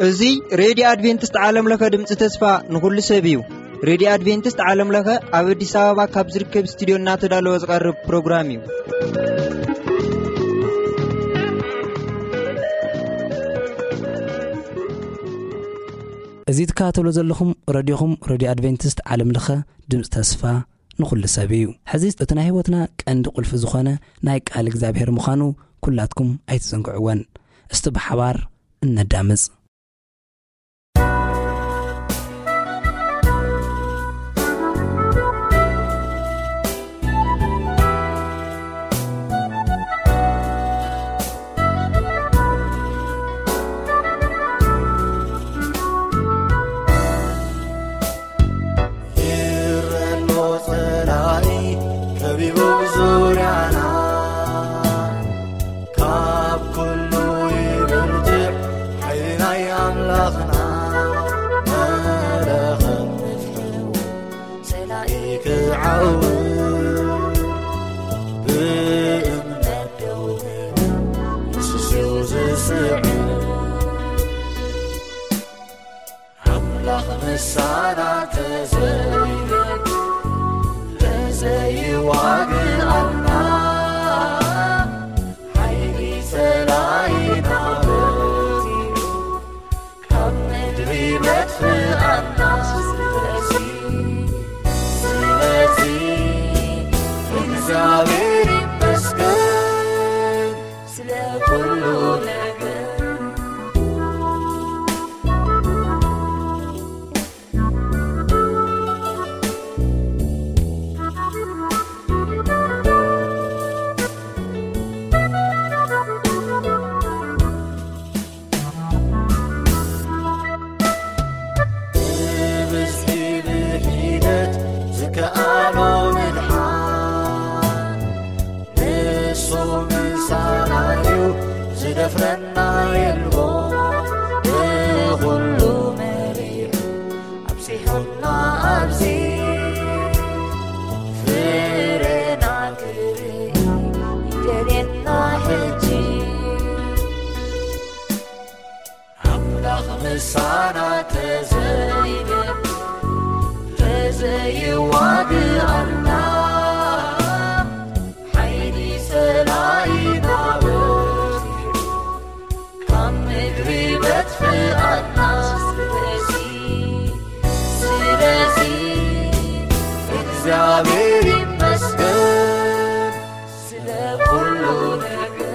እዚ ሬድዮ ኣድቬንቲስት ዓለም ለኸ ድምፂ ተስፋ ንኹሉ ሰብ እዩ። ሬድዮ ኣድቬንቲስት ዓለም ለኸ ኣብ ኣዲስ ኣበባ ካብ ዝርከብ ስቱዲዮ እናተዳለወ ዝቐርብ ፕሮግራም እዩ። እዚ ትከታተሉ ዘለኹም ረድዮኹም ሬድዮ ኣድቬንቲስት ዓለም ለኸ ድምፂ ተስፋ ንኹሉ ሰብ እዩ። ሕዚ እቲ ናይ ህይወትና ቀንዲ ቁልፊ ዝኾነ ናይ ቃል እግዚኣብሔር ምዃኑ ኩላትኩም ኣይትዘንግዕወን። እስቲ ብሓባር እነዳምፅ። ይረሎ ጸላኢ ከቢቡ ዙርያና፣ ካብ ኩሉ ይብርትዕ ሓይሊ ናይ ኣምላኽና። መለኸት ንፍሑ ጸላኢ ክዓው ብእምነት ደው ንስስው ዝስዕር ኣምላኽ ምሳና ተዘይነግ ተዘይዋግኣና ሓይሊ ጸላኢና በርቲዑ ካብ ምድሪ መጥፍኣና። ስለዚ ስለዚ እግዚኣብሔር ይመስገን ስለ ኩሉ ነገር። ብብዝሒ ብሒደት ዝከኣሎ ምድሓን ንሱ ምሳና እዩ፣ ዝደፍረና የልቦ። ብኹሉ መሪሑ ኣብጺሑና ኣብዚ፣ ፍሬና ክርኢ ይደልየና ሕጂ። ኣምላኽ ምሳና ተዘይነብ ተዘይዋግኣና ሓይሊ ጸላኢና በርቲዑ ካብ ምድሪ መጥፍኣና። ስለዚ ስለዚ እግዚኣብሔር ይመስገን ስለ ኩሉ ነገር።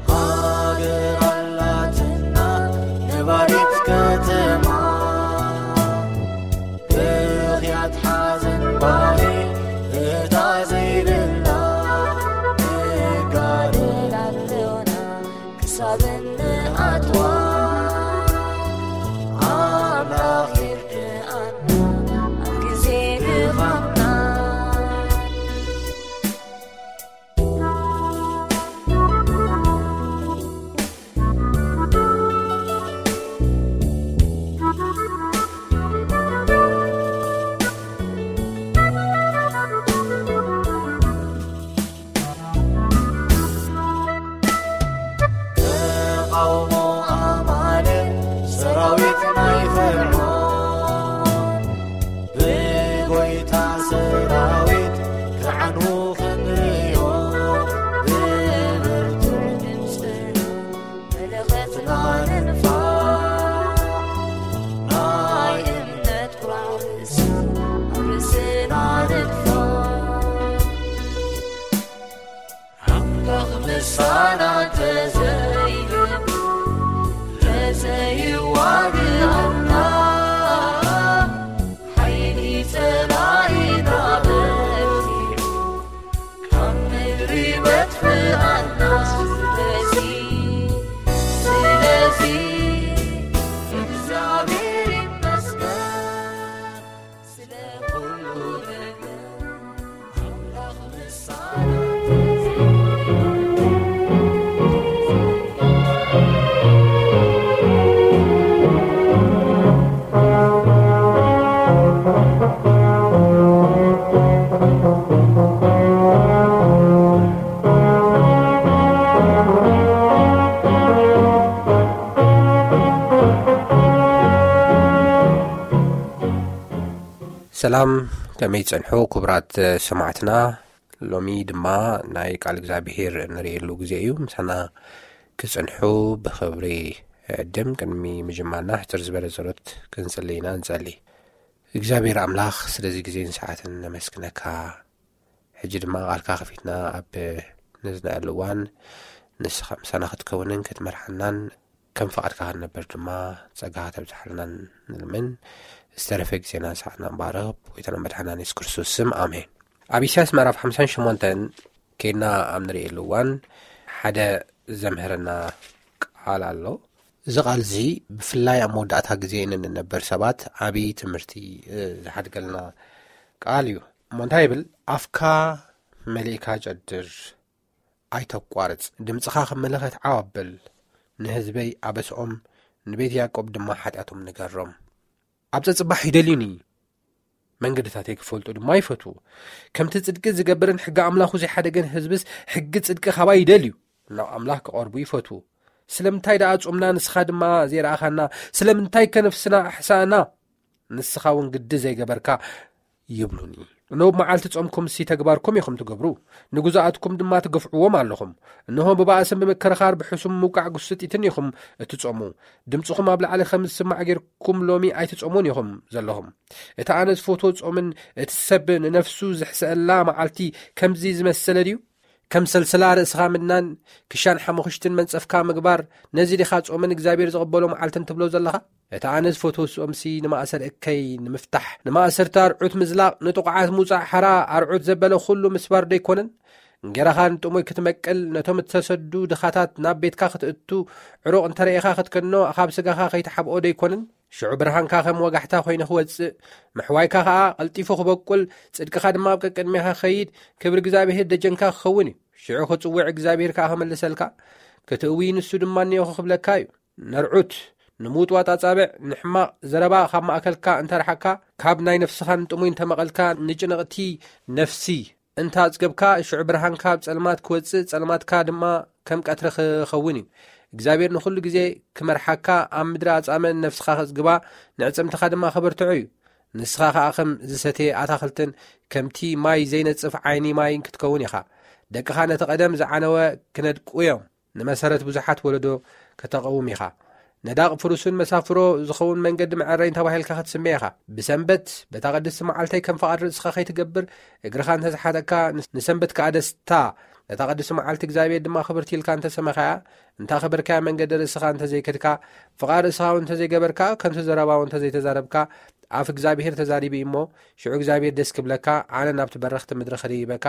ሃገር ኣላትና ነባሪት ከተማ፣ ብኽያት ሓዘን ባኒ እታ ሰላም፣ ከመይ ጸንሑ ክቡራት ሰማዕትና? ሎሚ ድማ ናይ ቃል እግዚኣብሔር እንርእየሉ ግዜ እዩ። ምሳና ክጽንሑ ብኽብሪ ዕድም። ቅድሚ ምጅማርና ሕጽር ዝበለ ጸሎት ክንጽሊ ኢና። ንጸሊ። እግዚኣብሔር ኣምላኽ፣ ስለዚ ግዜን ሰዓትን ነመስግነካ። ሕጂ ድማ ቃልካ ከፊትና ኣብ ነዝናኣሉ እዋን ንስኻ ምሳና ክትከውንን ክትመርሓናን ከም ፍቓድካ ክንነብር ድማ ጸጋኻ ተብዝሓልናን ንልምን። ዝተረፈ ግዜና ሰዓትና ንባረኽ። ብጎይታና መድሓና የሱስ ክርስቶስ ስም፣ ኣሜን። ኣብ ኢሳያስ ምዕራፍ ሓምሳን ሸሞንተን ኬድና ኣብ ንርእየሉ እዋን ሓደ ዘምህረና ቃል ኣሎ። እዚ ቃል እዚ ብፍላይ ኣብ መወዳእታ ግዜ እንንነበር ሰባት ዓቢ ትምህርቲ፣ እ፣ ዝሓድገልና ቃል እዩ። እሞ እንታይ ይብል? "ኣፍካ መሊእካ ጨድር፣ ኣይተቋርጽ። ድምጽኻ ከም መለኸት ዓው ኣብል። ንህዝበይ ኣበስኦም፣ ንቤት ያዕቆብ ድማ ሓጢኣቶም ንገሮም። ኣብ ጸጽባሕ ይደልዩኒ፣ መንገድታተይ ክፈልጡ ድማ ይፈትዉ። ከምቲ ጽድቂ ዝገብርን ሕጊ ኣምላኹ ዘይሓደገን ህዝብስ ሕጊ ጽድቂ ካባይ ይደልዩ፣ ናብ ኣምላኽ ክቐርቡ ይፈትዉ። ስለምንታይ ደኣ ጾምና፣ ንስኻ ድማ ዘይረኣኻና? ስለምንታይ ከነፍስና ኣሕሳእና? ንስኻ እውን ግዲ ዘይገበርካ?" ይብሉኒ። እነሆ፣ መዓልቲ ጾምኩምሲ ተግባርኩም ኢኹም ትገብሩ፣ ንግዙኣትኩም ድማ ትገፍዕዎም ኣለኹም። እነሆ፣ ብባእስን ብምክርኻር ብሕሱም ምውቃዕ ጉስጢትን ኢኹም እትጾሙ። ድምጽኹም ኣብ ላዕሊ ከም ዝስማዕ ጌርኩም ሎሚ ኣይትጾሙን ኢኹም ዘለኹም። እቲ ኣነ ዝፈትዎ ጾምን እቲ ሰብ ንነፍሱ ዝሕሰኣላ መዓልቲ ከምዚ ዝመሰለ ድዩ? ከም ሰልሰላ ርእስኻ ምድናን፣ ክሻን ሓሙኽሽትን መንጸፍካ ምግባር፣ ነዚ ዲኻ ጾምን እግዚኣብሔር ዝቕበሎ መዓልትን ትብሎ ዘለኻ? እቲ ኣነ ዝፈትዎ ጾምሲ ንማእሰር እከይ ንምፍታሕ፣ ንማእሰርቲ ኣርዑት ምዝላቕ፣ ንጥቑዓት ምውጻእ ሓራ፣ ኣርዑት ዘበለ ኩሉ ምስባር ዶ ኣይኮነን? እንጌራኻ ንጥሙይ ክትመቅል፣ ነቶም እተሰዱ ድኻታት ናብ ቤትካ ክትእቱ፣ ዕሩቕ እንተ ረኢኻ ክትከኖ፣ ካብ ስጋኻ ከይትሓብኦ ዶ ኣይኮነን? ሽዑ ብርሃንካ ከም ወጋሕታ ኮይኑ ክወጽእ፣ ምሕዋይካ ኸኣ ቀልጢፉ ክበቁል፣ ጽድቅኻ ድማ ኣብ ቀቅድሜኻ ክኸይድ፣ ክብሪ እግዚኣብሄር ደጀንካ ክኸውን እዩ። ሽዑ ክጽውዕ እግዚኣብሄር ከኣ ክምልሰልካ፣ ክትእዊ ንሱ ድማ እነሆ ክብለካ እዩ። ነርዑት፣ ንምውጥዋጥ ኣጻብዕ፣ ንሕማቕ ዘረባ ካብ ማእከልካ እንተ ረሓቅካ፣ ካብ ናይ ነፍስኻ ንጥሙይ እንተ መቐልካ፣ ንጭንቕቲ ነፍሲ እንተ ኣጽገብካ፣ ሽዑ ብርሃንካ ኣብ ጸልማት ክወጽእ፣ ጸልማትካ ድማ ከም ቀትሪ ክኸውን እዩ። እግዚኣብሔር ንኹሉ ግዜ ክመርሓካ፣ ኣብ ምድሪ ኣጻምእ ንነፍስኻ ከጽግባ፣ ንዕጽምትኻ ድማ ከበርትዖ እዩ። ንስኻ ኸኣ ከም ዝሰትየ ኣታኽልትን ከምቲ ማይ ዘይነጽፍ ዓይኒ ማይን ክትከውን ኢኻ። ደቅኻ ነቲ ቀደም ዝዓነወ ክነድቁ እዮም። ንመሰረት ብዙሓት ወለዶ ከተቐውም ኢኻ። ነዳቕ ፍሩስን መሳፍሮ ዝኸውን መንገዲ መዐረይን ተባሂልካ ክትስመ ኢኻ። ብሰንበት በታ ቅድስቲ መዓልተይ ከም ፍቓድ ርእስኻ ከይትገብር፣ እግርኻ እንተ ዝሓጠካ፣ ንስ-፣ ንሰንበት ከኣ ደስታ፣ ነታ ቅድስቲ መዓልቲ እግዚኣብሔር ድማ ክብርቲ ኢልካ እንተ ሰመኻያ፣ እንተ ኣኽበርካያ፣ መንገዲ ርእስኻ እንተ ዘይከድካ፣ ፍቓድ ርእስኻ እውን እንተ ዘይገበርካ፣ ከንቱ ዘረባ እውን እንተ ዘይተዛረብካ፣ ኣፍ እግዚኣብሔር ተዛሪቡ እዩ እሞ፣ ሽዑ እግዚኣብሔር ደስ ክብለካ፣ ኣነ ናብቲ በረኽቲ ምድሪ ክድይበካ፣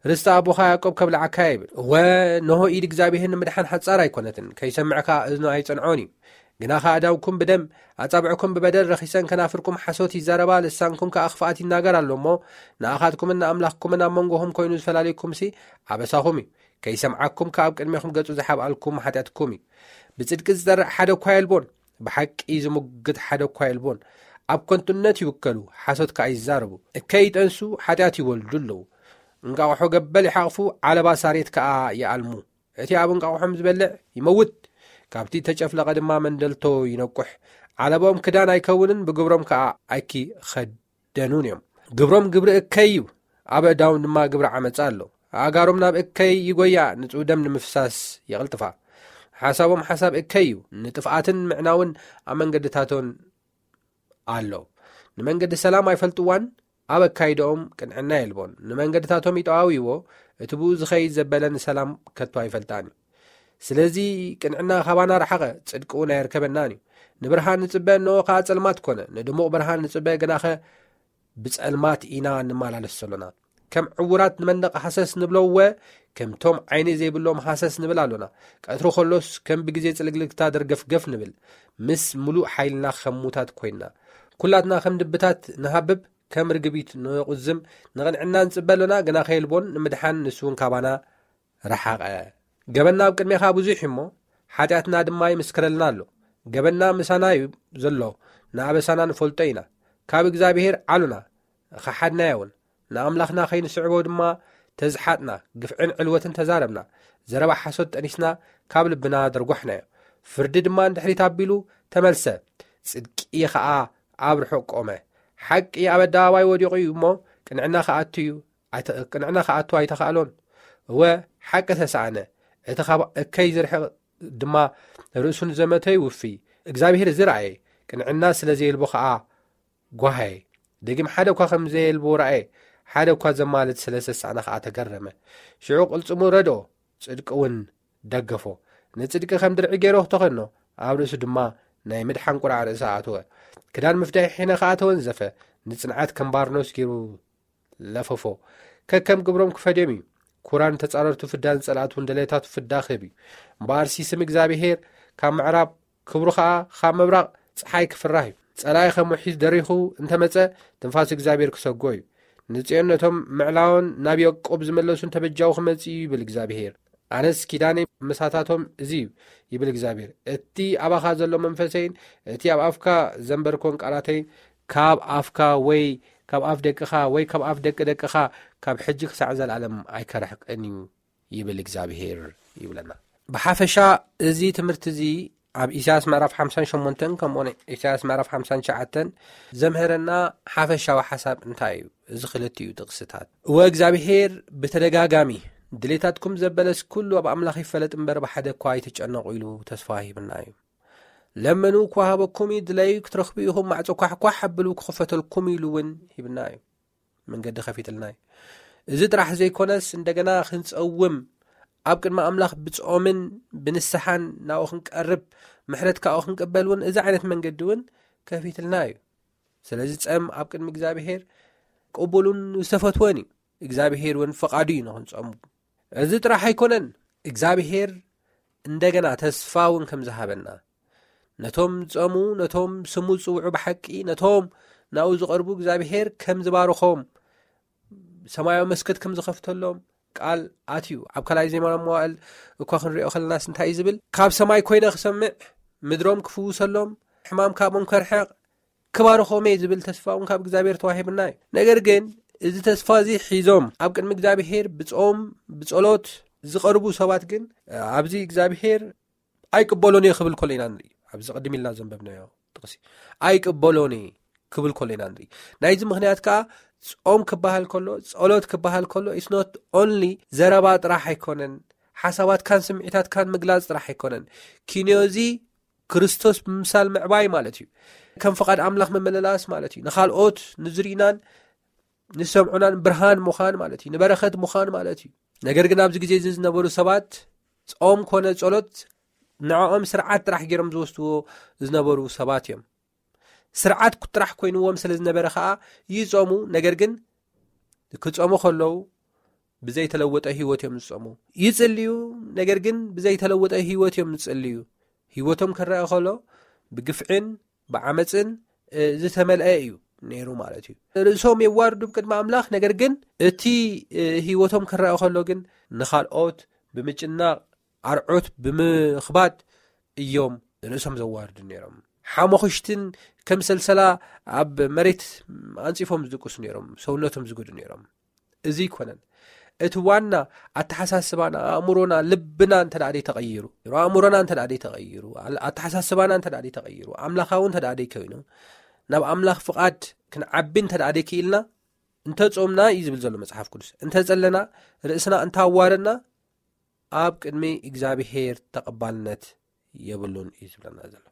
ርስቲ ኣቦኻ ያዕቆብ ከብልዓካ እየ ይብል። እወ፣ እንሆ ኢድ እግዚኣብሔር ንምድሓን ሓጻር ኣይኮነትን፣ ከይሰምዕ ከኣ እዝኑ ኣይጸንዖን እዩ። ግናኸ ኣእዳውኩም ብደም፣ ኣጻብዕኩም ብበደል ረኺሰን፣ ከናፍርኩም ሓሶት ይዛረባ፣ ልሳንኩም ከኣ ክፍኣት ይናገር ኣሎ እሞ፣ ንኣኻትኩምን ንኣምላኽኩምን ኣብ መንጎኹም ኮይኑ ዝፈላልየኩምሲ ኣበሳኹም እዩ። ከይሰምዓኩም ከኣ ኣብ ቅድሜኹም ገጹ ዝሓብኣልኩም ሓጢኣትኩም እዩ። ብጽድቂ ዝጸርዕ ሓደ እኳ የልቦን፣ ብሓቂ ዝሙግት ሓደ እኳ የልቦን። ኣብ ከንቱነት ይውከሉ፣ ሓሶት ከኣ ይዛረቡ። እከይ ይጠንሱ፣ ሓጢኣት ይወልዱ ኣለዉ። እንቃቑሖ ገበል ይሓቕፉ፣ ዓለባ ሳሬት ከኣ ይኣልሙ። እቲ ኣብ እንቃቑሖም ዝበልዕ ይመውት፣ ካብቲ እተጨፍለቐ ድማ መንደልቶ ይነቁሕ። ዓለቦም ክዳን ኣይከውንን፣ ብግብሮም ከኣ ኣይኪኸደኑን እዮም። ግብሮም ግብሪ እከይ እዩ፣ ኣብ ኣእዳዎም ድማ ግብሪ ዓመጻ ኣሎ። ኣእጋሮም ናብ እከይ ይጎያ፣ ንጹህ ደም ንምፍሳስ የቕልጥፋ። ሓሳቦም ሓሳብ እከይ እዩ፣ ንጥፍኣትን ምዕናውን ኣብ መንገድታቶን ኣሎ። ንመንገዲ ሰላም ኣይፈልጥዋን፣ ኣብ ኣካይዳኦም ቅንዕና የልቦን። ንመንገድታቶም ይጠዋውይዎ፣ እቲ ብኡ ዝኸይድ ዘበለ ንሰላም ከቶ ኣይፈልጣን እዩ። ስለዚ ቅንዕና ካባና ረሓቐ፣ ጽድቂ እውን ኣየርከበናን እዩ። ንብርሃን ንጽበ፣ እንሆ ከኣ ጸልማት ኮነ። ንድሙቕ ብርሃን ንጽበ፣ ግናኸ ብጸልማት ኢና እንመላለስ ዘሎና። ከም ዕዉራት ንመንደቕ ሃሰስ ንብሎ እወ፣ ከምቶም ዓይኒ ዘይብሎም ሃሰስ ንብል ኣሎና። ቀትሪ ከሎስ ከም ብግዜ ጽልግልግታ ደርገፍገፍ ንብል። ምስ ምሉእ ሓይልና ከም ሙታት ኮይንና። ኩላትና ከም ድብታት ንሃብብ፣ ከም ርግቢት ንቑዝም። ንቕንዕና ንጽበ ኣሎና፣ ግና ከየልቦን ንምድሓን ንሱ እውን ካባና ረሓቐ። ገበንና ኣብ ቅድሜኻ ብዙሕ እዩ እሞ፣ ሓጢኣትና ድማ ይምስክረልና ኣሎ። ገበንና ምሳና እዩ ዘሎ፣ ንኣበሳና ንፈልጦ ኢና። ካብ እግዚኣብሔር ዓሉና፣ ኸሓድናዮ እውን። ንኣምላኽና ከይንስዕቦ ድማ ተዝሓጥና፣ ግፍዕን ዕልወትን ተዛረብና፣ ዘረባ ሓሶት ጠኒስና፣ ካብ ልብና ደርጓሕናዮ። ፍርዲ ድማ ንድሕሪት ኣቢሉ ተመልሰ፣ ጽድቂ ኸኣ ኣብ ርሑቕ ቆመ። ሓቂ ኣብ ኣደባባይ ወዲቑ እዩ እሞ፣ ቅንዕና ክኣቱ እዩ፣ ኣይተ-፣ ቅንዕና ክኣቱ ኣይተኻእሎን። እወ፣ ሓቂ ተሰኣነ፣ እቲ ካብ እከይ ዝርሕቕ ድማ ርእሱ ንዘመተ ይውፊ። እግዚኣብሔር እዚ ረኣየ፣ ቅንዕና ስለ ዘየልቦ ኸኣ ጓሃየ። ደጊም ሓደ እኳ ከም ዘየልቦ ረኣየ፣ ሓደ እኳ ዘማልድ ስለ ዝተሳእነ ኸኣ ተገረመ። ሽዑ ቅልጽሙ ረድኦ፣ ጽድቂ እውን ደገፎ። ንጽድቂ ከም ድርዒ ገይሩ ተኸኖ፣ ኣብ ርእሱ ድማ ናይ ምድሓን ቁራዕ ርእሲ ኣእተወ። ክዳን ምፍዳይ ሒነ ኸኣ ተወንዘፈ፣ ንጽንዓት ከም ባርኖስ ገይሩ ለፈፎ። ከከም ግብሮም ክፈድዮም እዩ። ኩራን ተጻረርቱ ፍዳን ጸላእቱን ደለታቱ ፍዳ ክህብ እዩ። እምበኣርሲ ስም እግዚኣብሔር ካብ ምዕራብ፣ ክብሩ ኸኣ ካብ ምብራቕ ጸሓይ ክፍራህ እዩ። ጸላኢ ከም ውሒዝ ደሪኹ እንተመጸ፣ ትንፋስ እግዚኣብሔር ክሰጎ እዩ። ንጽዮን ነቶም ምዕላውን ናብ ያዕቆብ ዝመለሱን ተበጃዊ ክመጽእ እዩ ይብል እግዚኣብሔር። ኣነስ ኪዳነይ ምሳታቶም እዚ እዩ ይብል እግዚኣብሔር። እቲ ኣባኻ ዘሎ መንፈሰይን እቲ ኣብ ኣፍካ ዘንበርኮን ቃላተይን ካብ ኣፍካ ወይ ካብ ኣፍ ደቅኻ ወይ ካብ ኣፍ ደቂ ደቅኻ ካብ ሕጂ ክሳዕ ዘላለም ኣይከርሕቅን እዩ ይብል እግዚኣብሔር ይብለና። ብሓፈሻ እዚ ትምህርቲ እዚ ኣብ ኢሳያስ ምዕራፍ ሓምሳን ሸሞንተን ከምኡውን ኢሳያስ ምዕራፍ ሓምሳን ትሽዓተን ዘምህረና ሓፈሻዊ ሓሳብ እንታይ እዩ? እዚ ክልቲኡ ጥቕስታት። እወ እግዚኣብሔር ብተደጋጋሚ ድሌታትኩም ዘበለስ ኩሉ ኣብ ኣምላኽ ይፈለጥ እምበር ብሓደ እኳ ኣይትጨነቑ ኢሉ ተስፋ ሂብና እዩ። ለምኑ ክወሃበኩም እዩ፣ ድለዩ ክትረኽቡ ኢኹም፣ ማዕጾ ኳሕኳሕ ኣብሉ ክኽፈተልኩም ኢሉ እውን ሂብና እዩ። መንገዲ ከፊትልና እዩ። እዚ ጥራሕ ዘይኮነስ እንደገና ክንጸውም ኣብ ቅድሚ ኣምላኽ ብጾምን ብንስሓን ናብኡ ክንቀርብ ምሕረት ካብኡ ክንቅበል እውን እዚ ዓይነት መንገዲ እውን ከፊትልና እዩ። ስለዚ ጸም ኣብ ቅድሚ እግዚኣብሔር ቅቡሉን ዝተፈትወን እዩ። እግዚኣብሔር እውን ፍቓዱ እዩ ንኽንጸሙ። እዚ ጥራሕ ኣይኮነን፣ እግዚኣብሔር እንደገና ተስፋ እውን ከም ዝሃበና፣ ነቶም ዝጸሙ፣ ነቶም ስሙ ዝጽውዑ ብሓቂ፣ ነቶም ናብኡ ዝቐርቡ እግዚኣብሔር ከም ዝባርኾም፣ ሰማያዊ መስኮት ከም ዝኸፍተሎም ቃል ኣትዩ። ኣብ ካልኣይ ዜና መዋዕል እኳ ክንሪኦ ከለናስ እንታይ እዩ ዝብል? ካብ ሰማይ ኮይነ ክሰምዕ፣ ምድሮም ክፍውሰሎም፣ ሕማም ካብኦም ከርሕቕ፣ ክባርኾም እየ ዝብል ተስፋ እውን ካብ እግዚኣብሔር ተዋሂብና እዩ። ነገር ግን እዚ ተስፋ እዚ ሒዞም ኣብ ቅድሚ እግዚኣብሔር ብጾም ብጸሎት ዝቐርቡ ሰባት ግን ኣብዚ እግዚኣብሔር ኣይቅበሎን እየ ክብል ከሎ ኢና ንርኢ። ኣብዚ ቅድም ኢልና ዘንበብናዮ ጥቕሲ ኣይቅበሎን እየ ክብል ከሎ ኢና ንርኢ። ናይዚ ምኽንያት ከኣ ጾም ክበሃል ከሎ፣ ጸሎት ክበሃል ከሎ it's not only ዘረባ ጥራሕ ኣይኮነን፣ ሓሳባትካን ስምዒታትካን ምግላጽ ጥራሕ ኣይኮነን። ኪንዮ እዚ ክርስቶስ ብምምሳል ምዕባይ ማለት እዩ። ከም ፍቓድ ኣምላኽ ምምልላስ ማለት እዩ። ንኻልኦት ንዝርኢናን ንሰምዑናን ብርሃን ምዃን ማለት እዩ። ንበረኸት ምዃን ማለት እዩ። ነገር ግን ኣብዚ ግዜ እዚ ዝነበሩ ሰባት ጾም ኮነ ጸሎት ንዕኦም ስርዓት ጥራሕ ገይሮም ዝወስድዎ ዝነበሩ ሰባት እዮም። ስርዓት ጥራሕ ኮይንዎም ስለ ዝነበረ ኸኣ ይጾሙ። ነገር ግን ክጾሙ ከለዉ ብዘይተለወጠ ህይወት እዮም ዝጾሙ። ይጽልዩ፣ ነገር ግን ብዘይተለወጠ ህይወት እዮም ዝጽልዩ። ህይወቶም ክረአ ከሎ ብግፍዕን ብዓመጽን፣ እ፣ ዝተመልአ እዩ ነይሩ ማለት እዩ። ርእሶም የዋርዱ ቅድሚ ኣምላኽ፣ ነገር ግን እቲ፣ እ፣ ህይወቶም ክረአ ከሎ ግን ንኻልኦት ብምጭናቕ፣ ኣርዑት ብምኽባድ እዮም ርእሶም ዘዋርዱ ነይሮም። ሓሞኽሽትን ከም ሰልሰላ ኣብ መሬት ኣንጺፎም ዝድቅሱ ነይሮም፣ ሰውነቶም ዝጉዱ ነይሮም። እዚ ኣይኮነን። እቲ ዋና ኣተሓሳስባና፣ ኣእምሮና፣ ልብና እንተ ደኣ ደይተቐይሩ፣ ኣእምሮና እንተ ደኣ ደይተቐይሩ፣ ኣል-፣ ኣተሓሳስባና እንተ ደኣ ደይተቐይሩ፣ ኣምላኻዊ እንተ ደኣ ደይኮይኑ፣ ናብ ኣምላኽ ፍቓድ ክንዓቢ እንተ ደኣ ደይክኢልና፣ እንተ ጾምና እዩ ዝብል ዘሎ መጽሓፍ ቅዱስ። እንተ ጸለና፣ ርእስና እንተ ኣዋረድና፣ ኣብ ቅድሚ እግዚኣብሄር ተቐባልነት የብሉን እዩ ዝብለና ዘሎ።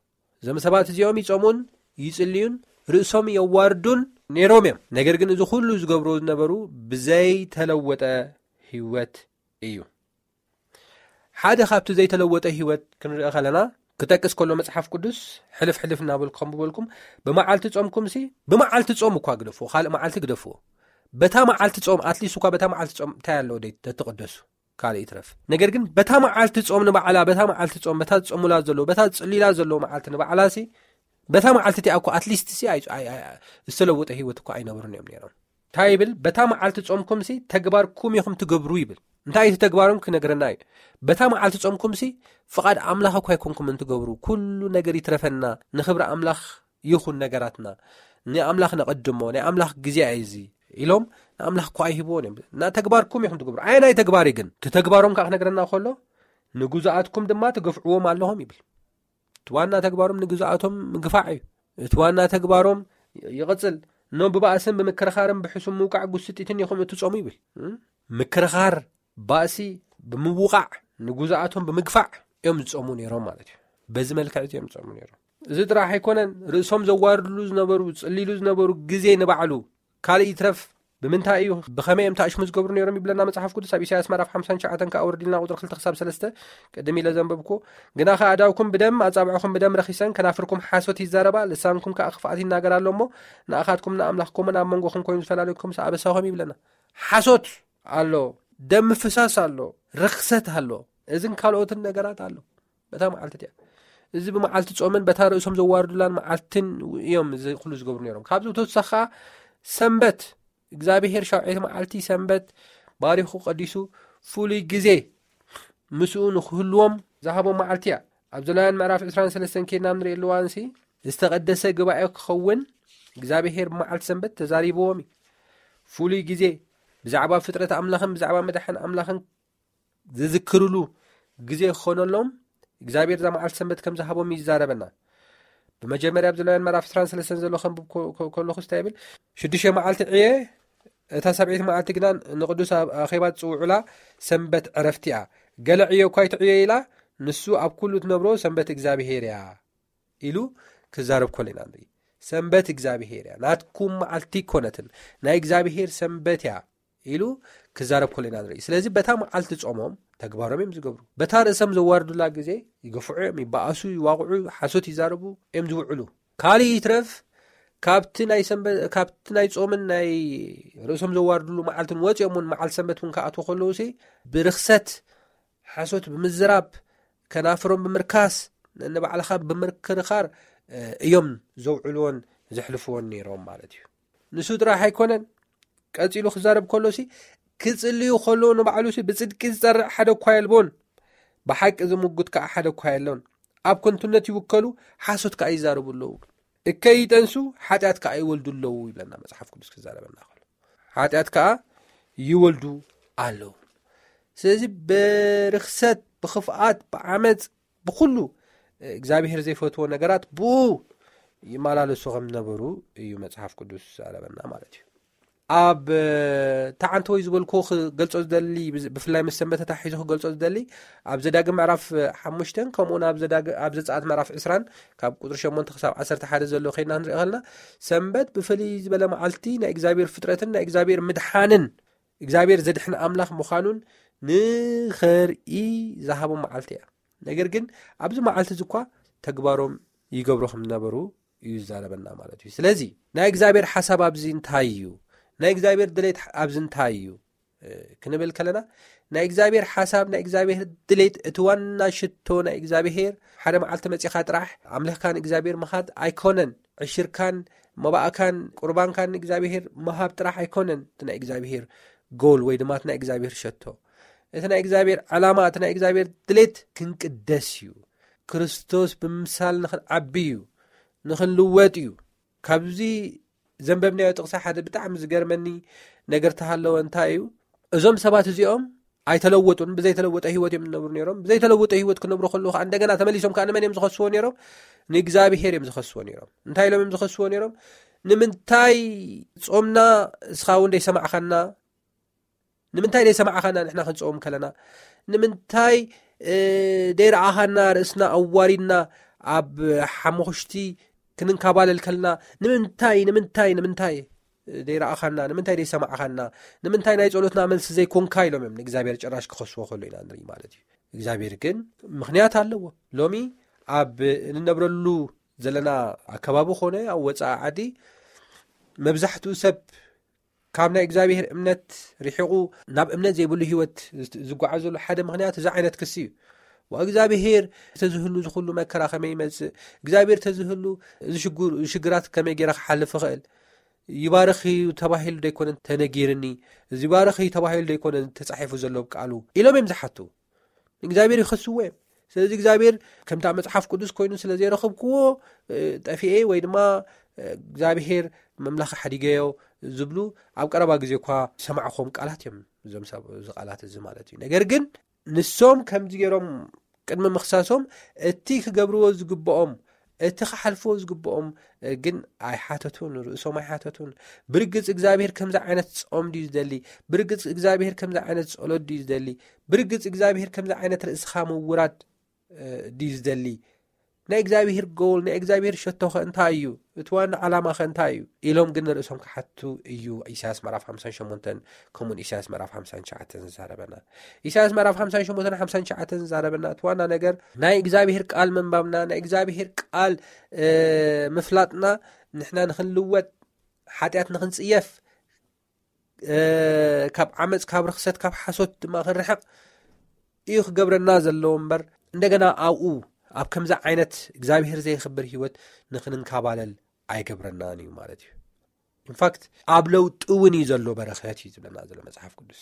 እዞም ሰባት እዚኦም ይጾሙን ይጽልዩን፣ ርእሶም የዋርዱን ነይሮም እዮም። ነገር ግን እዚ ኩሉ ዝገብሩ ዝነበሩ ብዘይተለወጠ ህይወት እዩ። ሓደ ካብቲ ዘይተለወጠ ህይወት ክንርኢ ከለና፣ ክጠቅስ ከሎ መጽሓፍ ቅዱስ ሕልፍ ሕልፍ እናበልኩ ከም ዝበልኩም፣ ብመዓልቲ ጾምኩምሲ፣ ብመዓልቲ ጾም እኳ ግደፍዎ፣ ካልእ መዓልቲ ግደፍዎ። በታ መዓልቲ ጾም፣ ኣትሊስት እኳ በታ መዓልቲ ጾም እንታይ ኣለዎ ደይ ተትቕደሱ? ካልእ ይትረፍ። ነገር ግን በታ መዓልቲ ጾም ንባዕላ፣ በታ መዓልቲ ጾም፣ በታ ዝጾሙላ ዘለዉ፣ በታ ዝጽልዩላ ዘለዉ መዓልቲ ንባዕላሲ፣ በታ መዓልቲ እቲኣ እኮ ኣትሊስት ሲ ኣይ-፣ ኣይ-፣ ኣይ-፣ ዝተለወጠ ህይወት እኮ ኣይነብሩን እዮም ነይሮም። እንታይ ይብል? በታ መዓልቲ ጾምኩምሲ ተግባርኩም ኢኹም ትገብሩ ይብል። እንታይ እቲ ተግባሮም ክነግረና እዩ። በታ መዓልቲ ጾምኩምሲ ፍቓድ ኣምላኽ እኮ ኣይኮንኩምን ትገብሩ። ኩሉ ነገር ይትረፈና፣ ንኽብሪ ኣምላኽ ይኹን ነገራትና፣ ንኣምላኽ ነቐድሞ፣ ናይ ኣምላኽ ግዜ እዩ እዚ ኢሎም ንኣምላኽ እኮ ኣይህብዎን እዮም። እና ተግባርኩም ኢኹም ትገብሩ። ኣየናይ ተግባር እዩ ግን? እቲ ተግባሮም ከዓ ክነግረና ከሎ፣ ንግዙኣትኩም ድማ ትገፍዕዎም ኣለኹም ይብል። እቲ ዋና ተግባሮም ንግዙኣቶም ምግፋዕ እዩ። እቲ ዋና ተግባሮም ይቕጽል። እኖ ብባእስን ብምክርኻርን ብሕሱም ምውቃዕ ጉስጢትን ኢኹም እትጾሙ ይብል። እም? ምክርኻር፣ ባእሲ ብምውቃዕ፣ ንጉዛኣቶም ብምግፋዕ እዮም ዝጾሙ ነይሮም ማለት እዩ። በዚ መልክዕ እዚ እዮም ዝጾሙ ነይሮም። እዚ ጥራሕ ኣይኮነን፣ ርእሶም ዘዋርድሉ ዝነበሩ፣ ጽሊሉ ዝነበሩ ግዜ ንባዕሉ ካልእ ይትረፍ፣ ብምንታይ እዩ፣ ብኸመይ እዮም ተኣሽሙ ዝገብሩ ነይሮም ይብለና መጽሓፍ ቅዱስ። ኣብ ኢሳያስ ምዕራፍ ሓምሳን ትሽዓተን ከኣ ወርዲልና ቁጽሪ ክልተ ክሳብ ሰለስተ ቅድም ኢለ ዘንበብኩ። ግናኸ ኣእዳውኩም ብደም ኣጻብዕኹም ብደም ረኺሰን፣ ከናፍርኩም ሓሶት ይዛረባ፣ ልሳንኩም ከኣ ክፍኣት ይናገር ኣሎ እሞ፣ ንኣኻትኩም ንኣምላኽኩምን ኣብ መንጎኹም ኮይኑ ዝፈላለኩም ምስ ኣበሳኹም ይብለና። ሓሶት ኣሎ፣ ደም ምፍሳስ ኣሎ፣ ርኽሰት ኣሎ፣ እዝን ካልኦትን ነገራት ኣሎ። በታ መዓልቲ እቲኣ እዚ ብመዓልቲ ጾምን በታ ርእሶም ዘዋርዱላን መዓልትን እዮም እዚ ኩሉ ዝገብሩ ነይሮም። ካብዚ ብተወሳኺ ከኣ ሰንበት እግዚኣብሔር ሻውዓይቲ መዓልቲ ሰንበት ባሪኹ ቀዲሱ ፍሉይ ግዜ ምስኡ ንክህልዎም ዝሃቦም መዓልቲ እያ። ኣብ ዘሌዋውያን ምዕራፍ ዕስራን ሰለስተን ኬድና ንርኢ ኣለዋንሲ ዝተቐደሰ ግባኤ ክኸውን እግዚኣብሔር ብመዓልቲ ሰንበት ተዛሪብዎም እዩ። ፍሉይ ግዜ ብዛዕባ ፍጥረት ኣምላኽን ብዛዕባ መድሓን ኣምላኽን ዝዝክርሉ ግዜ ክኾነሎም እግዚኣብሔር እዛ መዓልቲ ሰንበት ከም ዝሃቦም ይዛረበና። ብመጀመርያ ኣብ ዘሌዋውያን ምዕራፍ ዕስራን ሰለስተን ዘሎ ከንብብ ኮ- ኮ- ከለኹ እንታይ ይብል? ሽዱሽተ መዓልቲ ዕየ፣ እታ ሰብዒት መዓልቲ ግና ንቅዱስ ኣብ ኣኼባ ትጽውዑላ ሰንበት ዕረፍቲ እያ። ገለ ዕዮ እኳ ኣይትዕዮ ኢላ፣ ንሱ ኣብ ኩሉ ትነብሮ ሰንበት እግዚኣብሔር እያ ኢሉ ክዛረብ ከሎ ኢና ንርኢ። ሰንበት እግዚኣብሔር እያ፣ ናትኩም መዓልቲ ኣይኮነትን፣ ናይ እግዚኣብሔር ሰንበት እያ ኢሉ ክዛረብ ከሎ ኢና ንርኢ። ስለዚ በታ መዓልቲ ጾሞም ተግባሮም እዮም ዝገብሩ። በታ ርእሶም ዘዋርዱላ ግዜ ይገፍዑ እዮም፣ ይበኣሱ፣ ይዋቕዑ፣ ሓሶት ይዛረቡ እዮም ዝውዕሉ። ካልእ ይትረፍ ካብቲ ናይ ሰንበ- ካብቲ ናይ ጾምን ናይ ርእሶም ዘዋርዱሉ መዓልትን ወጺኦም እውን መዓልቲ ሰንበት እውን ክኣትዉ ከለዉ ሲ ብርኽሰት ሓሶት ብምዝራብ ከናፍሮም ብምርካስ ንባዕልኻ ብምርክርኻር እ፣ እዮም ዘውዕልዎን ዘሕልፍዎን ነይሮም ማለት እዩ። ንሱ ጥራሕ ኣይኮነን፣ ቀጺሉ ክዛረብ ከሎሲ ክጽልዩ ከለዉ ንባዕሉሲ ብጽድቂ ዝጸርዕ ሓደ እኳ የልቦን፣ ብሓቂ ዝምጉት ከኣ ሓደ እኳ የሎን፣ ኣብ ከንቱነት ይውከሉ፣ ሓሶት ከኣ ይዛረቡ ኣለዉ፣ እከይ ይጠንሱ፣ ሓጢኣት ከኣ ይወልዱ ኣለዉ ይብለና መጽሓፍ ቅዱስ ክዛረበና ከሎ። ሓጢኣት ከኣ ይወልዱ ኣለዉ። ስለዚ ብርኽሰት፣ ብኽፍኣት፣ ብዓመፅ፣ ብኩሉ እግዚኣብሔር ዘይፈትዎ ነገራት ብኡ ይመላለሱ ከም ዝነበሩ እዩ መጽሓፍ ቅዱስ ዝዛረበና ማለት እዩ። ኣብ ተዓንተ ወይ ዝበልኩ ክገልጾ ዝደሊ ብዝ- ብፍላይ ምስ ሰንበት ተታሒዙ ክገልጾ ዝደሊ ኣብ ዘዳግም ምዕራፍ ሓሙሽተን ከምኡውን ኣብ ዘዳግ- ኣብ ዘጸኣት ምዕራፍ ዕስራን ካብ ቁጥሪ ሸሞንተ ክሳብ ዓሰርተ ሓደ ዘሎ ከይድና ክንርኢ ከለና ሰንበት ብፍልይ ዝበለ መዓልቲ ናይ እግዚኣብሔር ፍጥረትን ናይ እግዚኣብሔር ምድሓንን እግዚኣብሔር ዘድሕን ኣምላኽ ምዃኑን ንኸርኢ ዝሃቦም መዓልቲ እያ። ነገር ግን ኣብዚ መዓልቲ እዚ እኳ ተግባሮም ይገብሩ ከም ዝነበሩ እዩ ዝዛረበና ማለት እዩ። ስለዚ ናይ እግዚኣብሔር ሓሳብ ኣብዚ እንታይ እዩ? ናይ እግዚኣብሔር ድሌት ኣብዚ እንታይ እዩ? እ፣ ክንብል ከለና ናይ እግዚኣብሔር ሓሳብ ናይ እግዚኣብሔር ድሌት እቲ ዋና ሽቶ ናይ እግዚኣብሔር ሓደ መዓልቲ መጺኻ ጥራሕ ኣምልኽካን እግዚኣብሔር ምኻድ ኣይኮነን። ዕሽርካን መባእካን ቁርባንካን ንእግዚኣብሔር ምሃብ ጥራሕ ኣይኮነን እቲ ናይ እግዚኣብሔር ጎል ወይ ድማ እቲ ናይ እግዚኣብሔር ሸቶ። እቲ ናይ እግዚኣብሔር ዕላማ እቲ ናይ እግዚኣብሔር ድሌት ክንቅደስ እዩ። ክርስቶስ ብምምሳል ንኽንዓቢ እዩ፣ ንኽንልወጥ እዩ። ካብዚ ዘንበብናዮ ጥቕሲ ሓደ ብጣዕሚ ዝገርመኒ ነገር ተሃለወ እንታይ እዩ? እዞም ሰባት እዚኦም ኣይተለወጡን፣ ብዘይተለወጠ ህይወት እዮም ዝነብሩ ነይሮም። ብዘይተለወጠ ህይወት ክነብሩ ከለዉ ከዓ እንደገና ተመሊሶም ከዓ ንመን እዮም ዝኸስዎ ነይሮም? ንእግዚኣብሔር እዮም ዝኸስዎ ነይሮም። እንታይ ኢሎም እዮም ዝኸስዎ ነይሮም? ንምንታይ ጾምና እስኻ እውን ደይሰማዕኻና? ንምንታይ ደይሰማዕኻና ንሕና ክንጸውም ከለና? ንምንታይ ደይረኣኻና ርእስና ኣዋሪድና ኣብ ሓሙኽሽቲ ክንንካባለል ከልና? ንምንታይ ንምንታይ ንምንታይ ደይረኣኻና? ንምንታይ ደይሰማዕኻና? ንምንታይ ናይ ጸሎትና መልሲ ዘይኮንካ ኢሎም እዮም ንእግዚኣብሔር ጭራሽ ክኸስዎ ከሎ ኢና ንርኢ ማለት እዩ። እግዚኣብሔር ግን ምኽንያት ኣለዎ። ሎሚ ኣብ እንነብረሉ ዘለና ኣከባቢ ኾነ ኣብ ወፃኢ ዓዲ መብዛሕትኡ ሰብ ካብ ናይ እግዚኣብሔር እምነት ርሒቑ ናብ እምነት ዘይብሉ ህይወት ዝጓዓዘሉ ሓደ ምኽንያት እዚ ዓይነት ክሲ እዩ። ዋ እግዚኣብሔር ተዝህሉ ዝኩሉ መከራ ከመይ ይመፅእ? እግዚኣብሔር ተዝህሉ እዚ ሽግራት ከመይ ገይረ ክሓልፍ ይኽእል? ይባርኽ እዩ ተባሂሉ ደይኮነን ተነጊርኒ? እዚ ይባርኽ እዩ ተባሂሉ ደይኮነን ተፃሒፉ ዘሎ ቃሉ? ኢሎም እዮም ዝሓቱ። እግዚኣብሔር ይኸስዎ እዮም። ስለዚ እግዚኣብሔር ከምታ መፅሓፍ ቅዱስ ኮይኑ ስለ ዘይረኽብክዎ ጠፊኤ ወይ ድማ እግዚኣብሔር መምላኽ ሓዲገዮ ዝብሉ ኣብ ቀረባ ግዜ እኳ ዝሰማዕኹም ቃላት እዮም። እዞም ሰብ እዚ ቃላት እዚ ማለት እዩ። ነገር ግን ንሶም ከምዚ ገይሮም ቅድሚ ምኽሳሶም እቲ ክገብርዎ ዝግብኦም እቲ ክሓልፍዎ ዝግብኦም ግን ኣይሓተቱን፣ ርእሶም ኣይሓተቱን። ብርግጽ እግዚኣብሔር ከምዚ ዓይነት ጾም ድዩ ዝደሊ? ብርግጽ እግዚኣብሔር ከምዚ ዓይነት ጸሎት ድዩ ዝደሊ? ብርግጽ እግዚኣብሔር ከምዚ ዓይነት ርእስኻ ምውራድ ድዩ ዝደሊ? ናይ እግዚኣብሔር ጎል፣ ናይ እግዚኣብሔር ሸቶኸ እንታይ እዩ? እቲ ዋና ዓላማኸ እንታይ እዩ? ኢሎም ግን ንርእሶም ክሓቱ እዩ ኢሳያስ ምዕራፍ ሓምሳን ሸሞንተን ከምኡን ኢሳያስ ምዕራፍ ሓምሳን ትሽዓተን ዝዛረበና። ኢሳያስ ምዕራፍ ሓምሳን ሸሞንተን ሓምሳን ትሽዓተን ዝዛረበና እቲ ዋና ነገር ናይ እግዚኣብሔር ቃል ምንባብና፣ ናይ እግዚኣብሔር ቃል ምፍላጥና፣ ንሕና ንኽንልወጥ፣ ሓጢኣት ንኽንጽየፍ፣ ካብ ዓመፅ፣ ካብ ርኽሰት፣ ካብ ሓሶት ድማ ክንርሕቕ እዩ ክገብረና ዘለዎ እምበር፣ እንደገና ኣብኡ ኣብ ከምዚ ዓይነት እግዚኣብሔር ዘይኽብር ህይወት ንኽንንካባለል ኣይገብረናን እዩ ማለት እዩ። ኢንፋክት ኣብ ለውጢ እውን እዩ ዘሎ በረኸት እዩ ዝብለና ዘሎ መፅሓፍ ቅዱስ።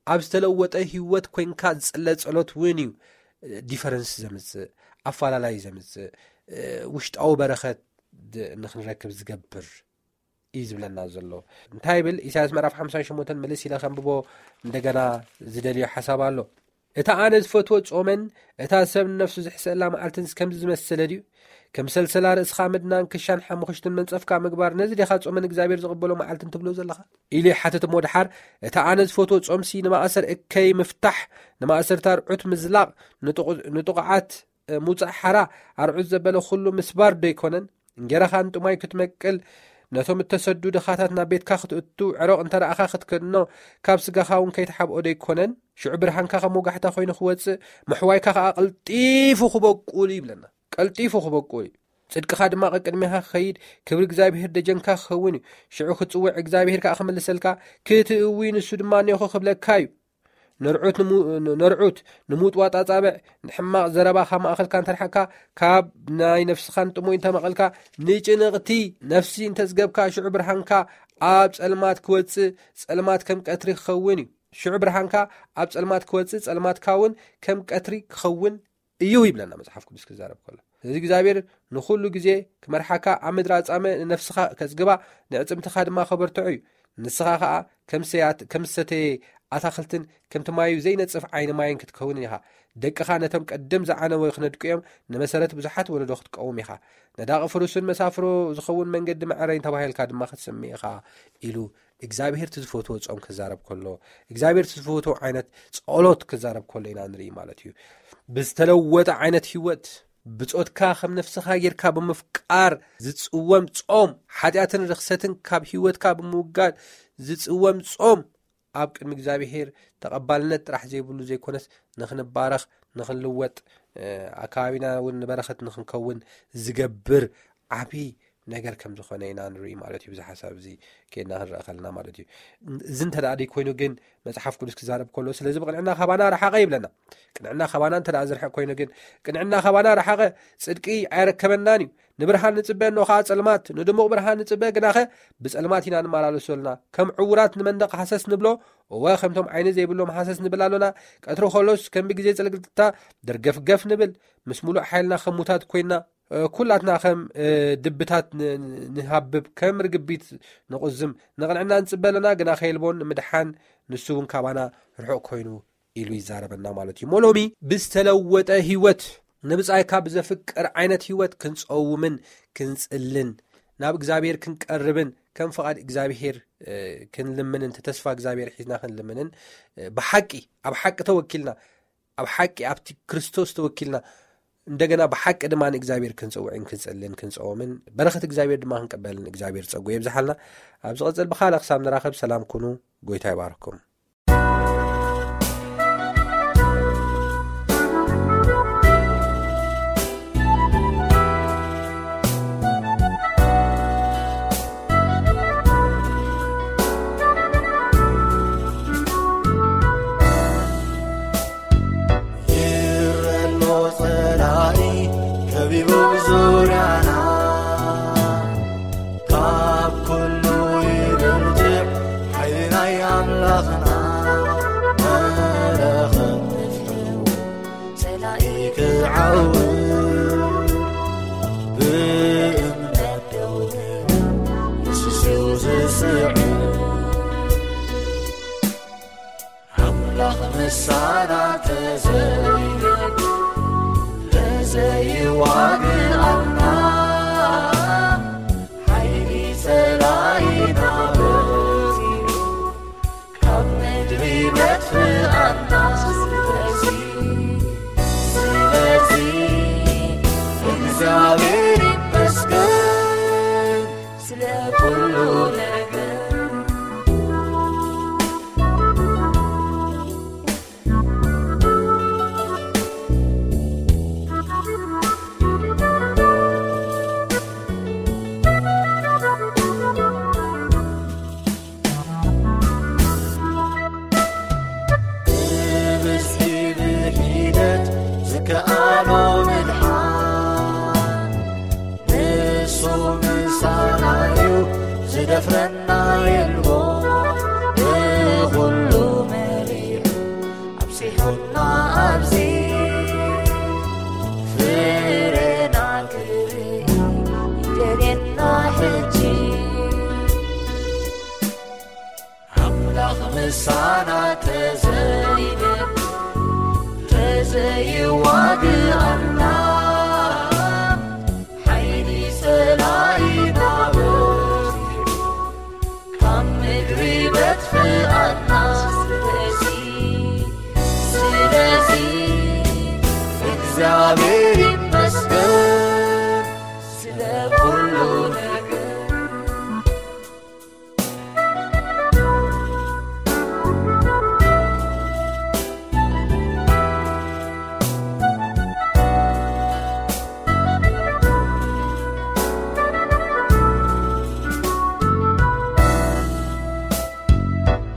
ኣብ ዝተለወጠ ህይወት ኮይንካ ዝፅለ ጸሎት እውን እዩ ዲፈረንስ ዘምፅእ፣ ኣፋላላይ ዘምፅእ፣ ውሽጣዊ በረኸት ንክንረክብ ዝገብር እዩ ዝብለና ዘሎ። እንታይ ይብል ኢሳያስ ምዕራፍ ሓምሳን ሸሞንተን? ምልስ ኢለ ከንብቦ እንደገና ዝደልዮ ሓሳብ ኣሎ። እታ ኣነ ዝፈትዎ ጾመን እታ ሰብ ንነፍሱ ዝሕሰላ መዓልትን ከምዚ ዝመሰለ ድዩ? ከም ሰልሰላ ርእስኻ ምድናን ክሻን ሓሙኽሽትን መንጸፍካ ምግባር፣ ነዚ ዲኻ ጾመን እግዚኣብሔር ዝቕበሎ መዓልትን ትብሎ ዘለኻ? ኢሉ ይሓትት። እሞ ድሓር እታ ኣነ ዝፈትዎ ጾምሲ ንማእሰር እከይ ምፍታሕ፣ ንማእሰርታ ርዑት ምዝላቕ፣ ንጥቑዓት ምውጻእ ሓራ፣ ኣርዑት ዘበለ ኩሉ ምስባር ዶ ኣይኮነን? እንጌራኻ ንጥማይ ክትመቅል፣ ነቶም እተሰዱ ድኻታት ናብ ቤትካ ክትእቱ፣ ዕሮቕ እንተ ረኣኻ ክትከድኖ፣ ካብ ስጋኻ እውን ከይትሓብኦ ዶ ኣይኮነን? ሽዑ ብርሃንካ ከም ወጋሕታ ኮይኑ ክወጽእ፣ ምሕዋይካ ከኣ ቀልጢፉ ክበቁል እዩ ይብለና። ቀልጢፉ ክበቁል እዩ። ጽድቅኻ ድማ ቀቅድሜኻ ክኸይድ፣ ክብሪ እግዚኣብሔር ደጀንካ ክኸውን እዩ። ሽዑ ክትጽውዕ፣ እግዚኣብሔር ከኣ ክምልሰልካ፣ ክትእዊ፣ ንሱ ድማ እኔኹ ክብለካ እዩ። ነርዑት ንሙ-፣ ነርዑት ንምውጥዋጥ ኣጻብዕ፣ ንሕማቕ ዘረባ ካብ ማእኸልካ እንተርሓቕካ፣ ካብ ናይ ነፍስኻ ንጥሙይ እንተመቐልካ፣ ንጭንቕቲ ነፍሲ እንተጽገብካ፣ ሽዑ ብርሃንካ ኣብ ጸልማት ክወጽእ፣ ጸልማት ከም ቀትሪ ክኸውን እዩ። ሽዑ ብርሃንካ ኣብ ጸልማት ክወጽእ፣ ጸልማትካ እውን ከም ቀትሪ ክኸውን እዩ ይብለና መጽሓፍ ቅዱስ ክዛረብ ከሎ። ስለዚ እግዚኣብሔር ንኹሉ ግዜ ክመርሓካ፣ ኣብ ምድሪ ኣጻምእ ንነፍስኻ ከጽግባ፣ ንዕጽምትኻ ድማ ከበርትዖ እዩ። ንስኻ ኸኣ ከም ሰያት-፣ ከም ዝሰተየ ኣታኽልትን ከምቲ ማዩ ዘይነጽፍ ዓይኒ ማይን ክትከውን ኢኻ። ደቅኻ ነቶም ቀደም ዝዓነወ ክነድቁ እዮም፣ ንመሰረት ብዙሓት ወለዶ ክትቀውም ኢኻ። ነዳቒ ፍሩስን መሳፍሮ ዝኸውን መንገዲ መዐረይን ተባሂልካ ድማ ክትስምዕ ኢኻ ኢሉ እግዚኣብሔር እቲ ዝፈትዎ ጾም ክዛረብ ከሎ፣ እግዚኣብሔር እቲ ዝፈትዎ ዓይነት ጸሎት ክዛረብ ከሎ ኢና ንርኢ ማለት እዩ። ብዝተለወጠ ዓይነት ህይወት፣ ብጾትካ ከም ነፍስኻ ጌርካ ብምፍቃር ዝጽወም ጾም፣ ሓጢኣትን ርኽሰትን ካብ ህይወትካ ብምውጋድ ዝጽወም ጾም፣ ኣብ ቅድሚ እግዚኣብሔር ተቐባልነት ጥራሕ ዘይብሉ ዘይኮነስ፣ ንኽንባረኽ፣ ንኽንልወጥ፣ እ፣ ኣከባቢና እውን ንበረኸት ንኽንከውን ዝገብር ዓብዪ ነገር ከም ዝኾነ ኢና ንርኢ ማለት እዩ። ብዚ ሓሳብ እዚ ኬድና ክንረአ ከለና ማለት እዩ። እዚ እንተ ደኣ ደይ ኮይኑ ግን መጽሓፍ ቅዱስ ክዛረብ ከሎ፣ ስለዚ ብቕንዕና ካባና ረሓቐ ይብለና። ቅንዕና ካባና እንተ ደኣ ዝርሕቕ ኮይኑ ግን፣ ቅንዕና ካባና ረሓቐ፣ ጽድቂ ኣይረከበናን እዩ። ንብርሃን ንጽበ፣ እነሆ ኸኣ ጸልማት፣ ንድሙቕ ብርሃን ንጽበ፣ ግናኸ ብጸልማት ኢና ንመላለስ ዘሎና። ከም ዕዉራት ንመንደቕ ሃሰስ ንብሎ፣ እወ፣ ከምቶም ዓይኒ ዘይብሎም ሃሰስ ንብል ኣሎና። ቀትሪ ኸሎስ ከም ብግዜ ጽልግልግታ ደርገፍገፍ ንብል፣ ምስ ምሉእ ሓይልና ከም ሙታት ኮይንና፣ እ፣ ኩላትና ከም፣ እ፣ ድብታት ን-፣ ን-፣ ንሃብብ፣ ከም ርግቢት ንቑዝም። ንቕንዕና ንጽበ ኣሎና፣ ግና ከየልቦን ንምድሓን ንሱ እውን ካባና ርሑቕ ኮይኑ ኢሉ ይዛረበና ማለት እዩ። እሞ ሎሚ ብዝተለወጠ ህይወት፣ ንብጻይ ካብ ዘፍቅር ዓይነት ህይወት ክንጸውምን ክንጽልን፣ ናብ እግዚኣብሔር ክንቀርብን፣ ከም ፍቓድ እግዚኣብሔር፣ እ፣ ክንልምንን፣ እቲ ተስፋ እግዚኣብሔር ሒዝና ክንልምንን፣ እ፣ ብሓቂ፣ ኣብ ሓቂ ተወኪልና፣ ኣብ ሓቂ ኣብቲ ክርስቶስ ተወኪልና፣ እንደገና ብሓቂ ድማ ንእግዚኣብሔር ክንጽውዕን ክንጽልን ክንጸውምን፣ በረኸት እግዚኣብሔር ድማ ክንቅበልን እግዚኣብሔር ጸጉ የብዝሓልና። ኣብ ዝቐጽል ብኻልእ ክሳብ ንራኸብ ሰላም ኩኑ። ጎይታ ይባርኩም። ይረሎ ጸላኢ ከቢቡ ዙርያና፣ ካብ ኩሉ ይብርትዕ ሓይሊ ናይ ኣምላኽና። መለኸት ንፍሑ ጸላኢ ክዓው፣ ብእምነት ደው ንስሱ ዝስዕር። ኣምላኽ ምሳና ተዘይገድ፣ ተዘይዋግኣና። ኩሉ ነገር ብብዝሒ ብሒደት ዝከኣሎ ምድሓን ንሱ ምሳና እዩ፣ ዝደፍረና የልቦ። ብኹሉ መሪሑ ኣብጺሑና ኣብዚ፣ ፍሬና ክርኢ ይደልየና ሕጂ። ኣምላኽ ምሳና ተዘይደል ተዘይዋግኣና፣ ሓይሊ ጸላኢና በዚሑ ካብ ምድሪ በጥፍኣና። ስለዚ፣ ስለዚ እግዚኣብሔር ይመስገን ስለ ኩሉ ነገር።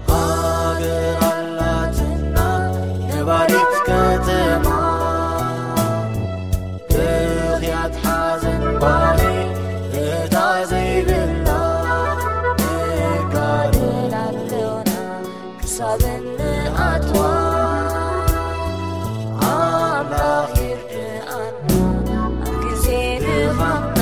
ሃገር ኣላትና ነባሪት ከተማ፣ ብኽያት ሓዘን ባኒ እታ ዘይብላ፣ ንጋደል ኣለና ክሳብ እንኣትዋ። ኣምላኽ ይርድኣና ኣብ ግዜ ድኻምና።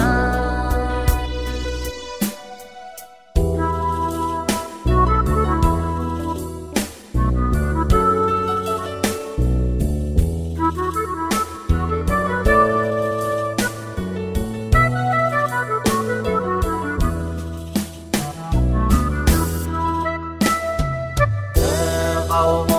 ተቓውሞ